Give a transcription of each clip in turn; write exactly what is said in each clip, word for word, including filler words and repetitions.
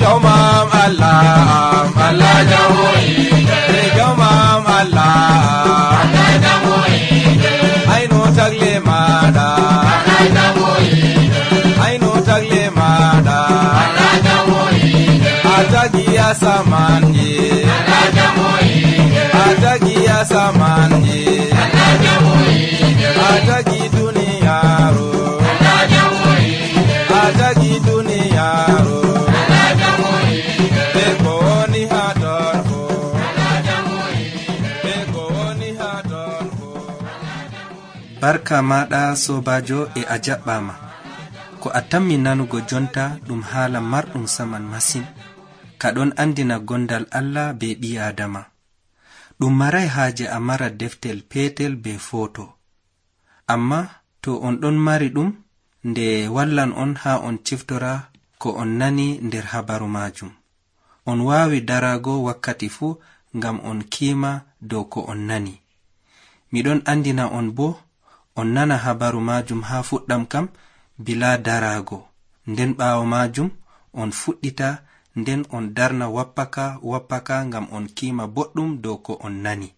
Jomam Allah, Allah jamoide. Jomam Allah, Allah jamoide. Aino tagle mada, Allah jamoide. Aino tagle mada, Allah jamoide. Atagi asamanje, Allah jamoide. Atagi asamanje, Allah jamoide. Atagi duniyaro, Allah jamoide. Atagi duniyaro. Barka maɗa sobajo e a jaɓɓama ko a tammi nanugo jonta ɗum haala marɗum saman masin kaɗon andina gondal Allah be ɓi Adama. Ɗum maray haaje a mara deftel petel be foto, amma to on ɗon mari ɗum nde wallan on ha on ciftora ko on nani nder habaru majum. On waawi darago wakkati fuu ngam on kiima dow ko on nani. Miɗon andina on bo on nana habaru majum ha fuɗɗam kam bila darago, nden ɓaawo majum on fuɗɗita nden on darna wappaka wappaka ngam on kiima boɗɗum dow ko on nani.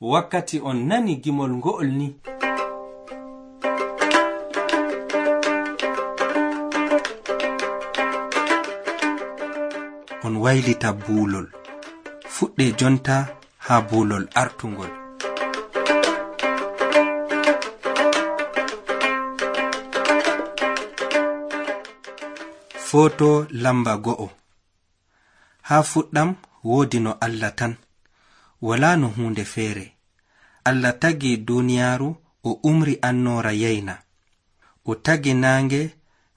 Wakkati on nani gimol ngo'ol ni, on waylita buulol. Fuɗɗe jonta ha buulol artungol. Foto lamba go'o. Ha fuɗɗam woodi no Allah tan, wala no hunde feere. Allah tagi duniyaaru o umri annoora yeyna. O tagi naange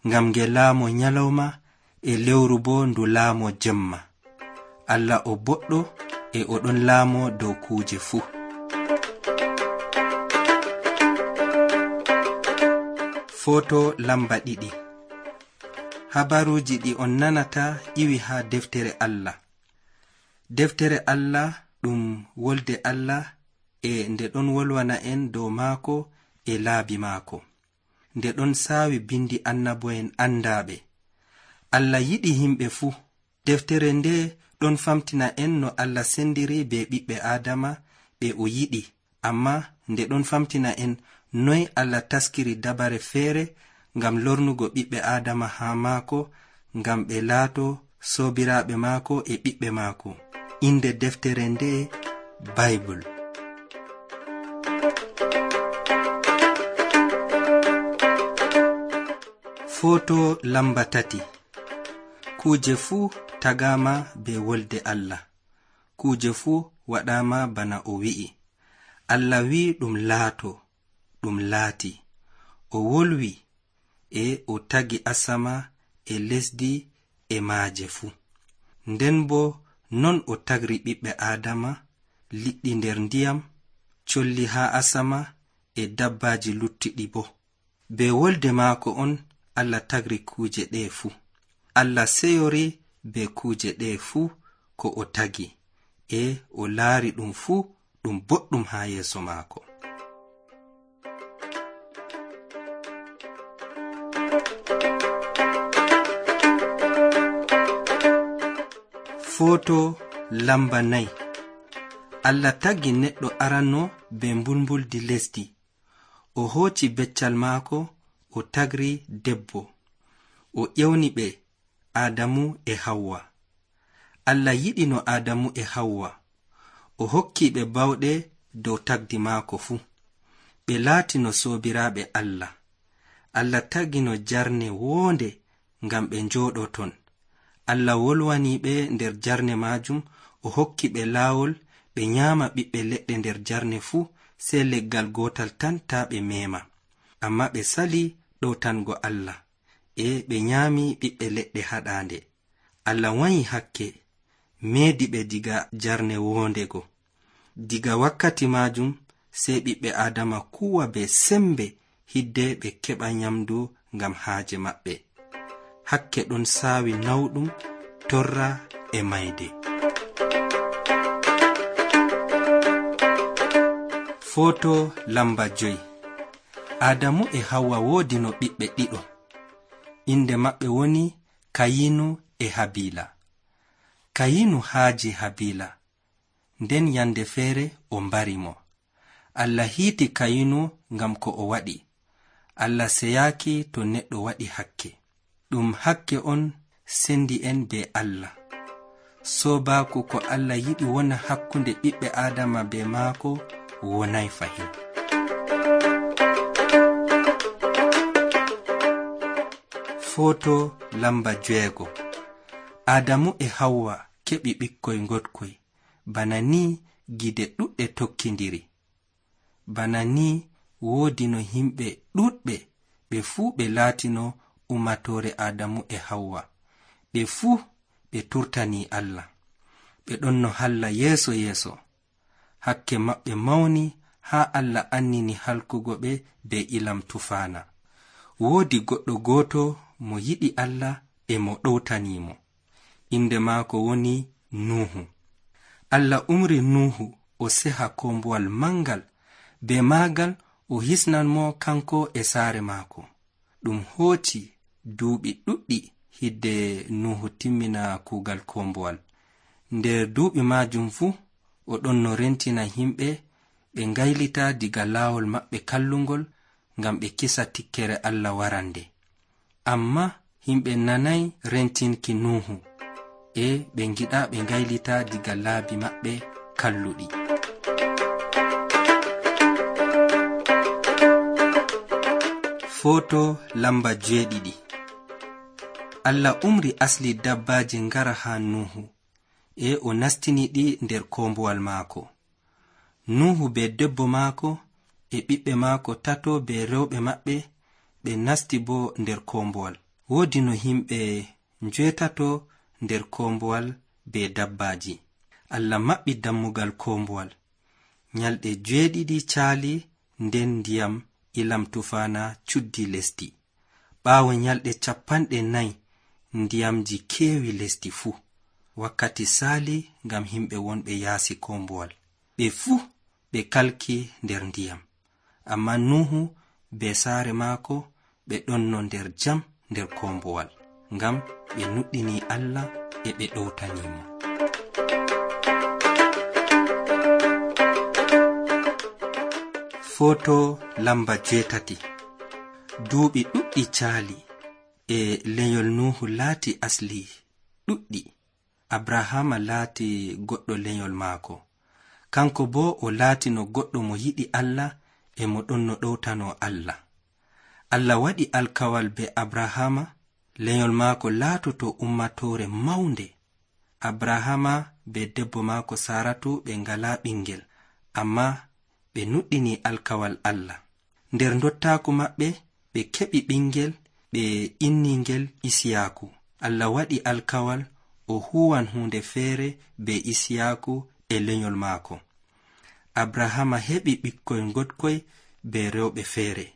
ngam nge laamo nyalawma e lewru bo ndu laamo jemma. Allah o boɗɗo e o ɗon laamo dow kuuje fuu. Foto lamba ɗiɗi. Habaruji ɗi on nanata iwi ha deftere Allah. Deftere Allah ɗum wolde Allah e nde ɗon wolwana en dow maako e laabi maako. Nde ɗon saawi bindi annabo'en andaaɓe. Allah yiɗi himɓe fuu. Deftere nde ɗon famtina en no Allah sendiri be ɓiɓɓe Adama ɓe o yiɗi, amma nde ɗon famtina en noy Allah taskiri dabare feere ngam lornugo ɓiɓɓe Adama ha maako, ngam ɓe laato soobiraaɓe maako e ɓiɓɓe maako. Inde deftere nde Bible. Foto lamba tati. Kuje fuu tagama be wolde Allah. Kuje fuu waɗama bana o wi'i. Allah wi ɗum laato, ɗum laati. O wolwi e o tagi asama e lesdi e maaje fuu. Nden bo non o tagri ɓiɓɓe Adama, liɗɗi nder ndiyam, colli ha asama e dabbaji luttiɗi bo. Be wolde maako on Allah tagri kuje ɗe fuu. Allah seyori be kuje ɗe fuu ko o tagi, e o laari ɗum fuu ɗum boɗɗum ha yeeso maako. Foto lamba nayi. Allah tagi neɗɗo aranno be mbulmbuldi lesdi. O hooci beccal maako, o tagri debbo. O ƴewni ɓe Adamu e Hawwa. Allah yiɗi no Adamu e Hawwa. O hokki ɓe bawɗe dow tagdi maako fuu. Ɓe laati no soobiraaɓe Allah. Allah tagi no jarne woonde ngam ɓe njooɗo ton. Allah wolwani ɓe nder jarne majum, o hokki ɓe laawol ɓe nyaama ɓiɓɓe leɗɗe nder jarne fuu, sey leggal gotal tan ta ɓe meema. Amma ɓe sali ɗowtango Allah, e ɓe nyaami ɓiɓɓe leɗɗe haɗaande. Allah wanyi hakke, meedi ɓe diga jarne wondego. Diga wakkati majum sey ɓiɓɓe Adama kuwa be sembe hidde ɓe keɓa nyamdu ngam haaje maɓɓe. Hakke ɗon saawi nawɗum, torra e mayde. Foto lamba joyi. Adamu e Hawwa woodi no ɓiɓɓe ɗiɗo. Inde maɓɓe woni Kayinu e Habila. Kayinu haaji Habila, nden yande feere o mbari mo. Allah hiiti Kayinu ngam ko o waɗi. Allah seyaaki to neɗɗo waɗi hakke. Ɗum hakke on sendi en be Allah. Soobaaku ko Allah yiɗi wona hakkunde ɓiɓɓe Aadama be maako wonay fahin. Foto lamba jeego. Adamu e Hawwa keɓi ɓikkoy ngoɗkoy. Bana ni gide ɗuɗɗe tokkindiri. Bana ni woodi no himɓe ɗuɗɓe ɓe fuu ɓe laatino umatore Adamu e Hawwa. Ɓe fuu ɓe turtani Allah. Ɓe ɗon no halla yeeso yeeso. Hakke maɓɓe mawni haa Allah annini halkugo ɓe be ilam tufaana. Woodi goɗɗo gooto mo yiɗi Allah e mo ɗowtanimo. Inde maako woni Nuhu. Allah umri Nuhu o seha kombuwal mangal. Be maagal o hisnan mo kanko e saare maako. Ɗum hooci duuɓi ɗuɗɗi hidde Nuhu timmina kuugal kombuwal. Nder duuɓi maajum fuu o ɗon no rentina himɓe ɓe ngaylita diga laawol maɓɓe kallungol ngam ɓe kisa tikkere Allah warande. Amma himɓe nanay rentinki Nuhu e ɓe ngiɗa ɓe ngaylita diga laabi maɓɓe kalluɗi. Foto lamba jeeɗiɗi. Allah umri asli dabbaaji ngara haa Nuhu e o nastini ɗi nder kombuwal maako. Nuhu be debbo maako e ɓiɓɓe maako tato be rewɓe maɓɓe ɓe nasti bo nder kombuwal. Woodi no himɓe njeetato nder kombuwal be dabbaaji. Allah maɓɓi dammugal kombuwal. Nyalɗe jeeɗiɗi caali nden ndiyam ilam tufaana cuddi lesdi. Ɓaawo nyalɗe cappanɗe nayi ndiyamji keewi lesdi fuu. Wakkati saali ngam himɓe wonɓe yaasi kombuwal. Ɓe fuu ɓe kalki nder ndiyam. Amma Nuhu be saare maako ɓe ɗon no nder jam nder kombuwal. Ngam ɓe nuɗɗini Allah e ɓe ɗowtanimo. Foto lamba jeetati. Duuɓi ɗuɗɗi caali e lenyol Nuhu laati asli ɗuɗɗi. Abrahama laati goɗɗo lenyol maako. Kanko bo o laati no goɗɗo mo yiɗi Allah e mo ɗon no ɗowtano Allah. Allah waɗi alkawal be Abrahama. Lenyol maako laatoto ummatore mawnde. Abrahama be debbo maako Saratu ɓe ngala ɓingel, amma ɓe nuɗɗini alkawal Allah. Nder ndottaaku maɓɓe ɓe keɓi ɓingel ɓe inningel Isiyaaku. Allah waɗi alkawal o huwan hunde feere be Isiyaaku e lenyol maako. Abrahama heɓi ɓikkoy ngoɗkoy be rewɓe feere.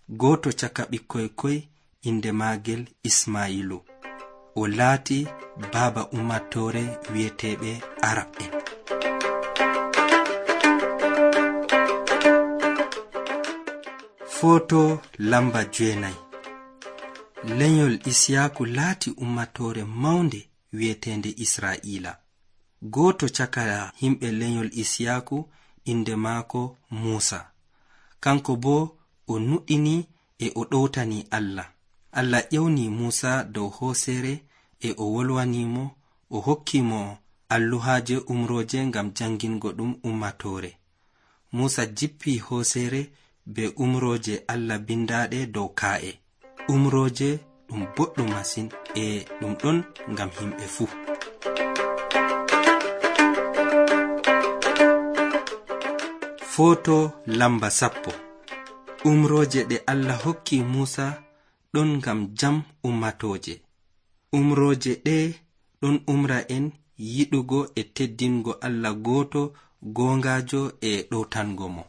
Gooto caka ɓikkoy koy inde maagel Ismailu. O laati baaba ummatore wi'eteeɓe Arab en. Foto lamba jeenayi. Lenyol Isiyaaku laati ummatore mawnde wi'etende Israa'ila. Gooto caka himɓe lenyol Isiyaaku inde maako Muusa. Kanko bo o nuɗɗini e o ɗowtani Allah. Allah ƴewni Muusa dow hooseere e o wolwanimo, o hokkimo alluhaaje umrooje ngam jangingo ɗum ummatore. Muusa jippi hooseere be umrooje Allah bindaaɗe dow kaa'e. Umrooje ɗum boɗɗum masin e ɗum ɗon ngam himɓe fuu. Foto lamba sappo. Umrooje ɗe Allah hokki Muusa ɗon ngam jam ummatoje. Umrooje ɗe ɗon umra en yiɗugo e teddingo Allah gooto goongaajo e ɗowtango mo.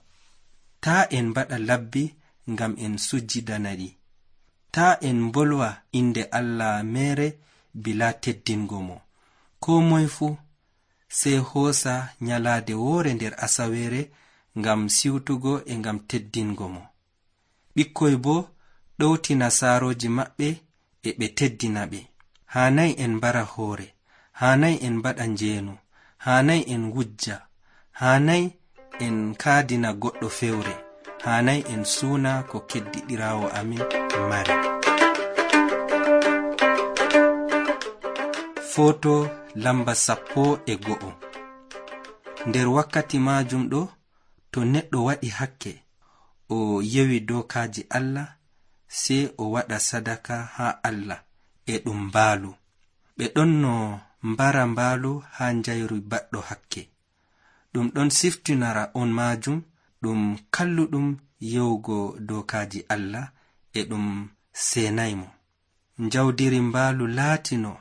Taa en mbaɗa labbi ngam en sujjidanaɗi. Taa en mbolwa inde Allah mere bila teddingo mo. Ko moy fuu sey hoosa nyalaade woore nder asaweere ngam siwtugo e ngam teddingo mo. Ɓikkoy bo ɗowtina saarooji maɓɓe e ɓe teddina ɓe. Haanay en mbara hoore, hanay en baɗa njeenu, hanay en wujja, hanay en kaadina goɗɗo fewre, hanay en suuna ko keddiɗiraawo amin mari. Foto lamba sappo e go'o. Nder wakkati maajum ɗo, to neɗɗo waɗi hakke o yewi dokaaji Allah, sey o waɗa sadaka haa Allah e ɗum mbaalu. Ɓe ɗon no mbara mbaalu haa njayru baɗɗo hakke. Ɗum ɗon siftinara on maajum ɗum kalluɗum yewugo dokaaji Allah e ɗum seenaymo. Njawdiri mbaalu laatino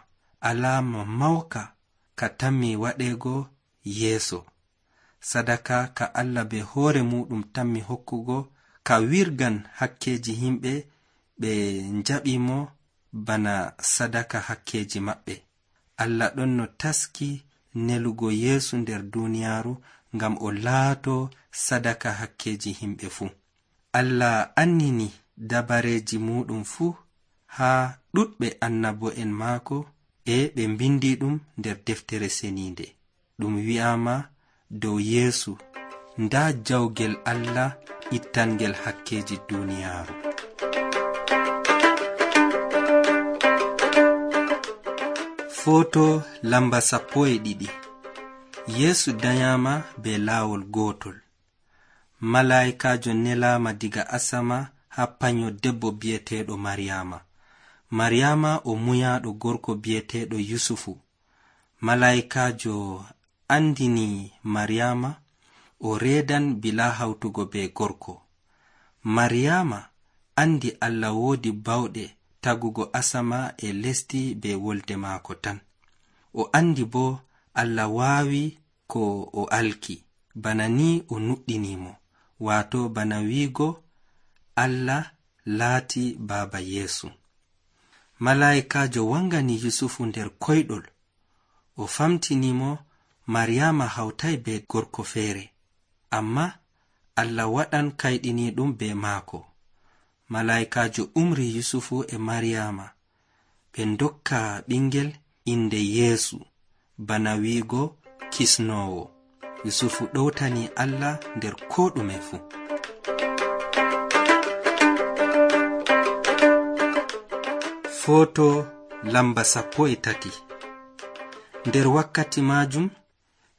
alaama mawka ka tammi waɗeego yeeso. Sadaka ka Allah be hoore muɗum tammi hokkugo ka wirgan hakkeji himɓe ɓe njaɓimo bana sadaka hakkeji maɓɓe. Allah ɗon no taski nelugo Yeesu nder duniyaaru ngam o laato sadaka hakkeji himɓe fuu. Allah annini dabareji muɗum fuu haa ɗuɗɓe annabo'en maako e ɓe mbindi ɗum nder deftere seninde. Ɗum wi'ama dow Yeesu nda jawgel Allah ittangel hakkeji duniyaaru. Foto lamba sappo e ɗiɗi. Yeesu danyama be laawol gootol. Malaa'ikajo nelama diga asama ha panyo debbo biyeteɗo Maryama. Maryama o muyaɗo gorko biyeteɗo Yusufu. Malaa'ikajo andini Maryama o reedan bila hawtugo be gorko. Maryama andi Allah woodi bawɗe tagugo asama e lesdi be wolde maako tan. O andi bo Allah waawi ko o alki, bana ni o nuɗɗinimo, waato bana wiigo Allah laati baaba Yeesu. Malaa'ikajo wangani Yusufu nder koyɗol. O famtinimo Maryama hawtay be gorko feere, amma Allah waɗan kayɗiniɗum be maako. Malaa'ikajo umri Yusufu e Maryama ɓe ndokka ɓingel inde Yeesu, bana wiigo kisnowo. Yusufu ɗowtani Allah nder ko ɗume fu. Foto lamba sappo e tati. Nder wakkati majum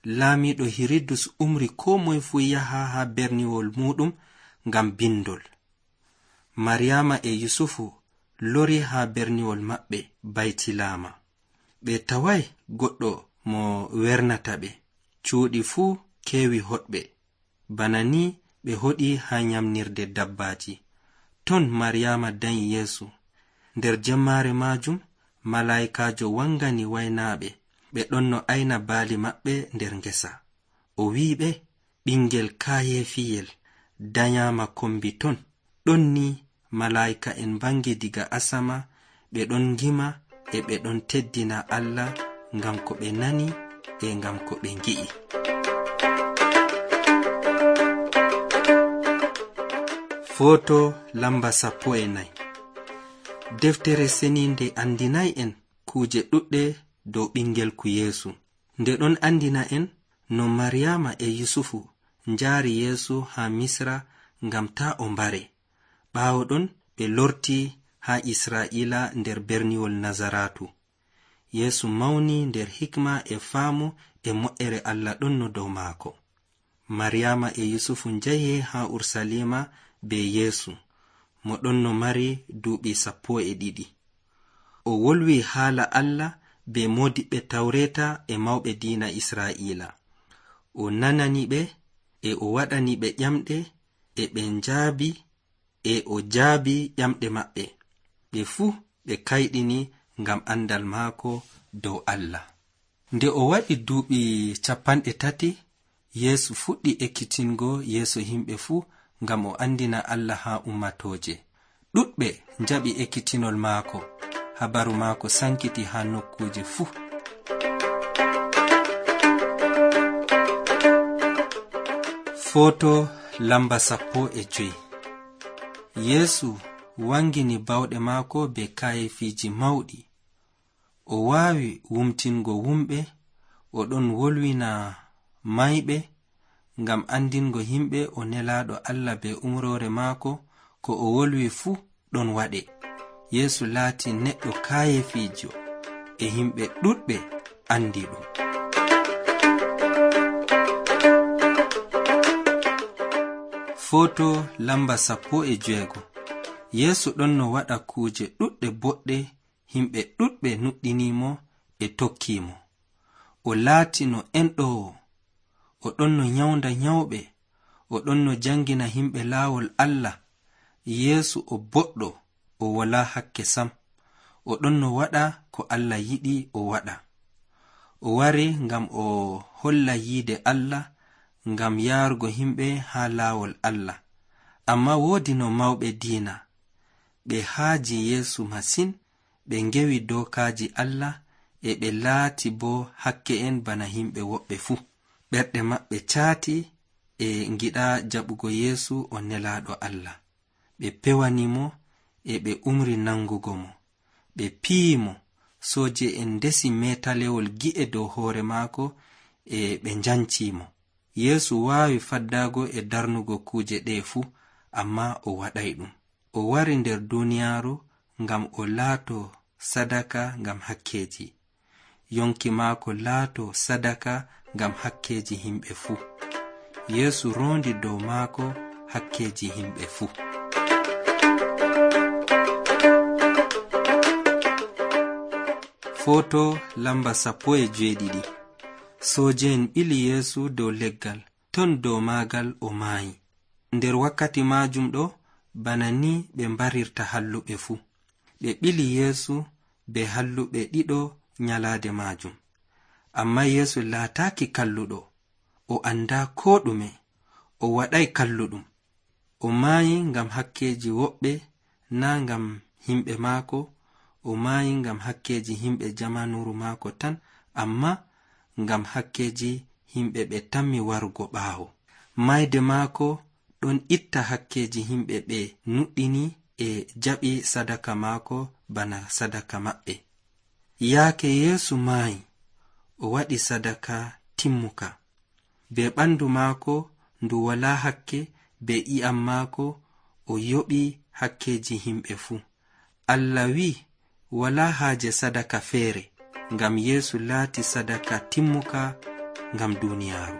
laamiɗo Hiridus umri ko moye fu yaha ha berniwol muɗum ngam bindol. Maryama e Yusufu lori ha berniwol maɓɓe Baytilama. Ɓe tawai goɗɗo mo wernata ɓe. Cuuɗi fuu kewi hoɗɓe, bana ni ɓe hoɗi ha nyamnirde dabbaji. Ton Maryama danyi Yeesu. Nder jemmare majum malaa'ikajo wangani waynaɓe. Ɓe ɗon no ayna baali maɓɓe nder ngesa. O wi'iɓe ɓingel kayefiyel danyama kombi ton. Ɗon ni malaa'ika en bangi diga asama, ɓe ɗon ngima e ɓe ɗon teddina Allah ngam ko ɓe nani e ngam ko ɓe ngi'i. Foto lamba sappo e nayi. Deftere seninde andinay en kuje ɗuɗɗe dow ɓingel ku Yeesu. Nde ɗon andina en no Maryama e Yusufu njaari Yeesu ha Misra ngam ta o mbare. Ɓaawo ɗon ɓe lorti ha Israa'ila nder berniwol Nazaratu. Yeesu mawni nder hikma e faamu e mo'ere Allah ɗon no dow maako. Maryama e Yusufu njahi ha Ursalima be Yeesu, mo ɗon no mari duuɓi sappo e ɗiɗi. O wolwi haala Allah be modiɓɓe Tawreta e mawɓe diina Israa'ila. O nanani ɓe e o waɗani ɓe ƴamɗe e ɓe njaabi e o jaabi ƴamɗe maɓɓe. Ɓe fuu ɓe kayɗini ngam andal maako dow Allah. Nde o waɗi duuɓi capanɗe tati, Yeesu fuɗɗi ekkitingo yeeso himɓe fuu ngam o andina Allah ha ummatoje. Ɗuɗɓe njaɓi ekkitinol maako. Habaru maako sankiti ha nokkuje fuu. Foto lamba sappo e joyi. Yeesu wangini bawɗe maako be kayefiji mawɗi. o waawi wumtingo wumɓe, o ɗon wolwina mayɓe, ngam andingo himɓe o nelaaɗo Allah be umrore maako. Ko o wolwi fuu ɗon waɗe. Yeesu laati neɗɗo kaayefiijo e himɓe ɗuɗɓe andi ɗum. Foto lamba sappo e jeego. Yeesu ɗon no waɗa kuuje ɗuɗɗe boɗɗe, himɓe ɗuɗɓe nuɗɗinimo e tokkimo. O laati no enɗowo, o ɗon no nyawnda nyawɓe, o ɗon no jangina himɓe laawol Allah. Yeesu o boɗɗo, o walaa hakke sam, o ɗon no waɗa ko Allah yiɗi o waɗa. O wari ngam o holla yiide Allah, ngam yaargo himɓe haa laawol Allah. Amma woodi no mawɓe diina, ɓe haaji Yeesu masin, ɓe ngewi dookaaji Allah, e ɓe laati bo hakke en bana himɓe woɓɓe fuu. Ɓerɗe maɓɓe caati e ngiɗa jaɓugo Yeesu o nelaaɗo Allah. Ɓe pewanimo e ɓe umri nangugo mo. Ɓe piyimo, sooje en ndesi metalewol gi'e dow hoore maako e ɓe njancimo. Yeesu waawi faddaago e darnugo kuuje ɗe fuu, amma o waɗay ɗum. O wari nder duniyaaru ngam o laato sadaka ngam hakkeeji. Yonki maako laato sadaka ngam hakkeeji himɓe fuu. Yeesu roondi dow maako hakkeeji himɓe fuu. Foto lamba sappo e jeeɗiɗi. Sooje'en ɓili Yeesu dow leggal, ton dow maagal o maayi. Nder wakkati maajum ɗo, bana ni ɓe mbarirta halluɓe fuu. Ɓe ɓili Yeesu be halluɓe ɗiɗo nyalaade maajum. Amma Yeesu laataaki kalluɗo, o andaa koo ɗume, o waɗay kalluɗum. O maayi ngam hakkeeji woɓɓe, naa ngam himɓe maako. O maayi ngam hakkeeji himɓe jamanuru maako tan, amma ngam hakkeeji himɓe ɓe tammi warugo ɓaawo. Mayde maako ɗon itta hakkeeji himɓe ɓe nuɗɗini e jaɓi sadaka maako bana sadaka maɓɓe. Yaake Yeesu maayi, o waɗi sadaka timmuka. Be ɓandu maako ndu walaa hakke, be i'am maako o yoɓi hakkeeji himɓe fuu. Allah wi'i walaa haaje sadaka feere, ngam Yeesu laati sadaka timmuka ngam duniyaaru.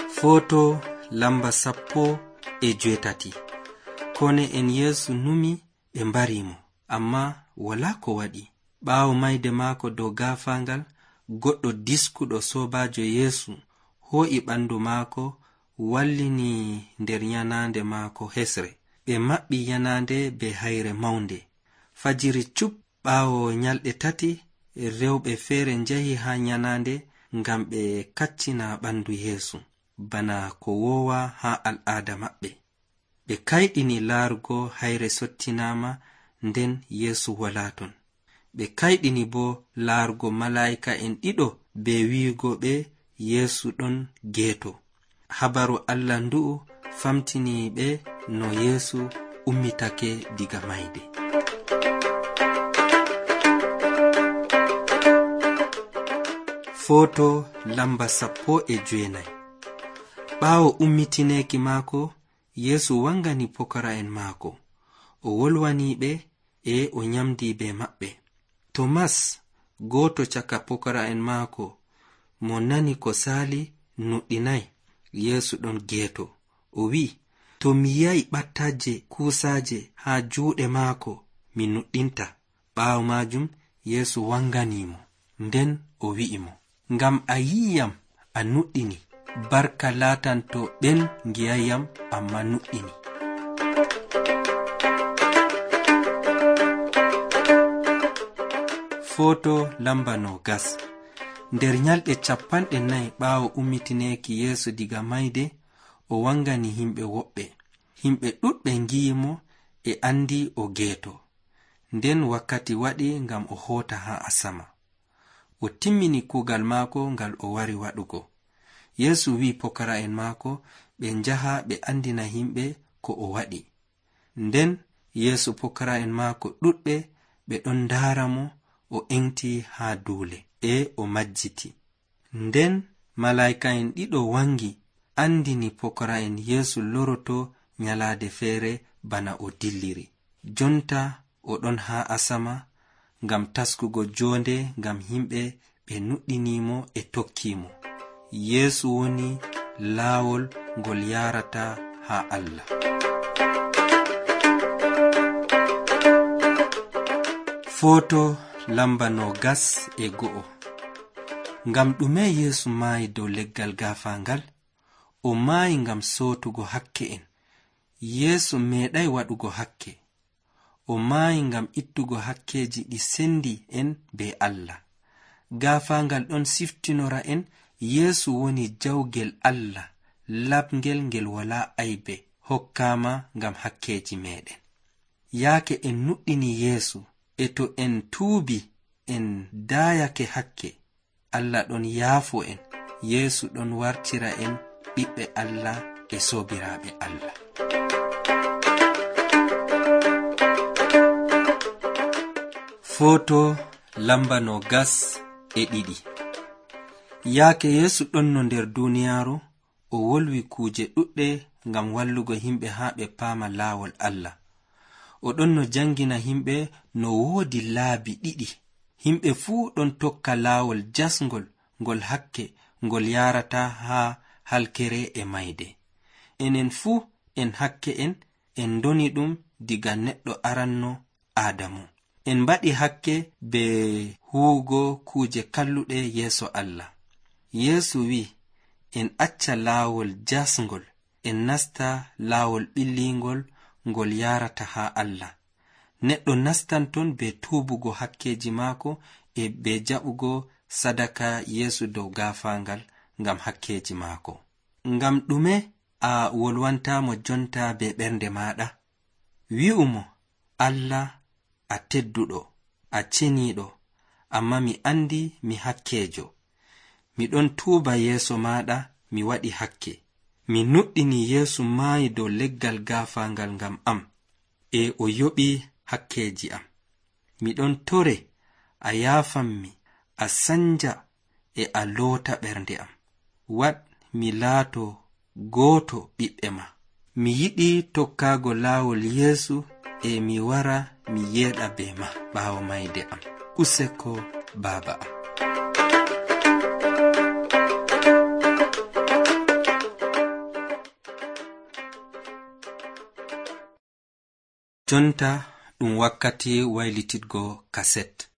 Foto lamba sappo e jeetati. Kone en Yeesu numi ɓe mbarimo, amma walaa ko waɗi. Ɓaawo mayde maako dow gaafaangal, goɗɗo diskuɗo soobaajo Yeesu hoo'i ɓandu maako, wallini nder yanaande maako hesre. Ɓe maɓɓi yanaande be hayre mawnde. Fajiri cup ɓaawo nyalɗe tati, rewɓe feere njahi haa yanaande ngam ɓe kaccina ɓandu Yeesu, bana ko woowa haa al'aada maɓɓe. Ɓe kayɗini laarugo hayre sottinaama, nden Yeesu walaa ton. Ɓe kayɗini bo laarugo malaa'ika en ɗiɗo be wi'ugo ɓe Yeesu ɗon geeto. Habaru Allah ndu'u famtini ɓe no Yeesu ummitake diga mayde. Foto lamba sappo e jeenay. Ɓaawo ummitineeki maako, Yeesu wangani pokara'en maako. O wolwani ɓe e o nyamdi be maɓɓe. Tomas, gooto caka pokara'en maako, mo nani ko saali, nuɗɗinay Yeesu ɗon geeto. O wi'i, to mi yi'ay ɓattaaje kuusaaje haa juuɗe maako, mi nuɗɗinta. Ɓaawo maajum Yeesu wanganimo, nden o wi'imo, ngam a yi'iyam a nuɗɗini, barka laatanto ɓen ngi'ayyam amma nuɗɗini. Foto lamba no gas. Nder nyalɗe capanɗe nayi ɓaawo ummitineeki Yeesu diga mayde, o wangani himɓe woɓɓe. Himɓe ɗuɗɓe ngi'imo e andi o geeto. Nden wakkati waɗi ngam o hoota haa asama. O timmini kuugal maako ngal o wari waɗugo. Yeesu wi'i pokara'en maako ɓe njaha ɓe andina himɓe ko o waɗi. Nden yeeso pokara'en maako ɗuɗɓe ɓe ɗon ndaara mo o engti haa duule e o majjiti. Nden malaa'ika'en ɗiɗo wangi andini pokara'en yeesu loroto nyalaade feere bana o dilliri. Jonta o ɗon haa asama ngam taskugo joonde ngam himɓe ɓe nuɗɗinimo e tokkimo. Yeesu woni laawol ngol yarata haa Allah. Foto lamba no gas e go'o. Ngam ɗume Yeesu maayi dow leggal gaafaangal? O maayi ngam sootugo hakke en. Yeesu meeɗay waɗugo hakke. O maayi ngam ittugo hakkeji ɗi sendi en be Allah. Gaafaangal ɗon siftinora en Yeesu woni jawgel Allah laɓngel ngel walaa aybe hokkaama ngam hakkeji meɗen. Yaake en nuɗɗini Yeesu e to en tuubi en daayake hakke, Allah ɗon yaafo en. Yeesu ɗon wartira en ɓiɓɓe Allah e soobiraaɓe Allah. Foto lamba no gas e ɗiɗi. Yaake Yeesu ɗon no nder duniyaaru, o wolwi kuuje ɗuɗɗe ngam wallugo himɓe haa ɓe paama laawol Allah. O ɗon no jangina himɓe no woodi laabi ɗiɗi. Himɓe fuu ɗon tokka laawol jasngol ngol hakke ngol yarata haa halkere e mayde. Enen fuu en hakke en en doni ɗum diga neɗɗo aranno Aadamu. En mbaɗi hakke be huugo kuuje kalluɗe yeeso Allah. Yeesu wi en acca laawol jasngol en nasta laawol ɓillingol ngol yarata haa Allah. Neɗɗo nastan ton be tuubugo hakkeji maako e be jaɓugo sadaka Yeesu dow gaafaangal ngam hakkeji maako. Ngam ɗume a wolwantamo jonta be ɓernde maɗa? Wi'umo, Allah, a tedduɗo, a ceniiɗo, amma mi andi mi hakkejo. Mi ɗon tuuba yeeso maɗa, mi waɗi hakke. Mi nuɗɗini Yeesu maayi dow leggal gaafaangal ngam am, e o yoɓi hakkeji am. Mi ɗon tore a yaafammi, a sanja e a loota ɓernde am. Waɗ mi laato gooto ɓiɓɓe ma. Mi yiɗi tokkaago laawol Yeesu e mi wara mi yeeɗa be ma ɓaawo mayde am. Useko baaba am. Jonta ɗum wakkati waylititgo kaset.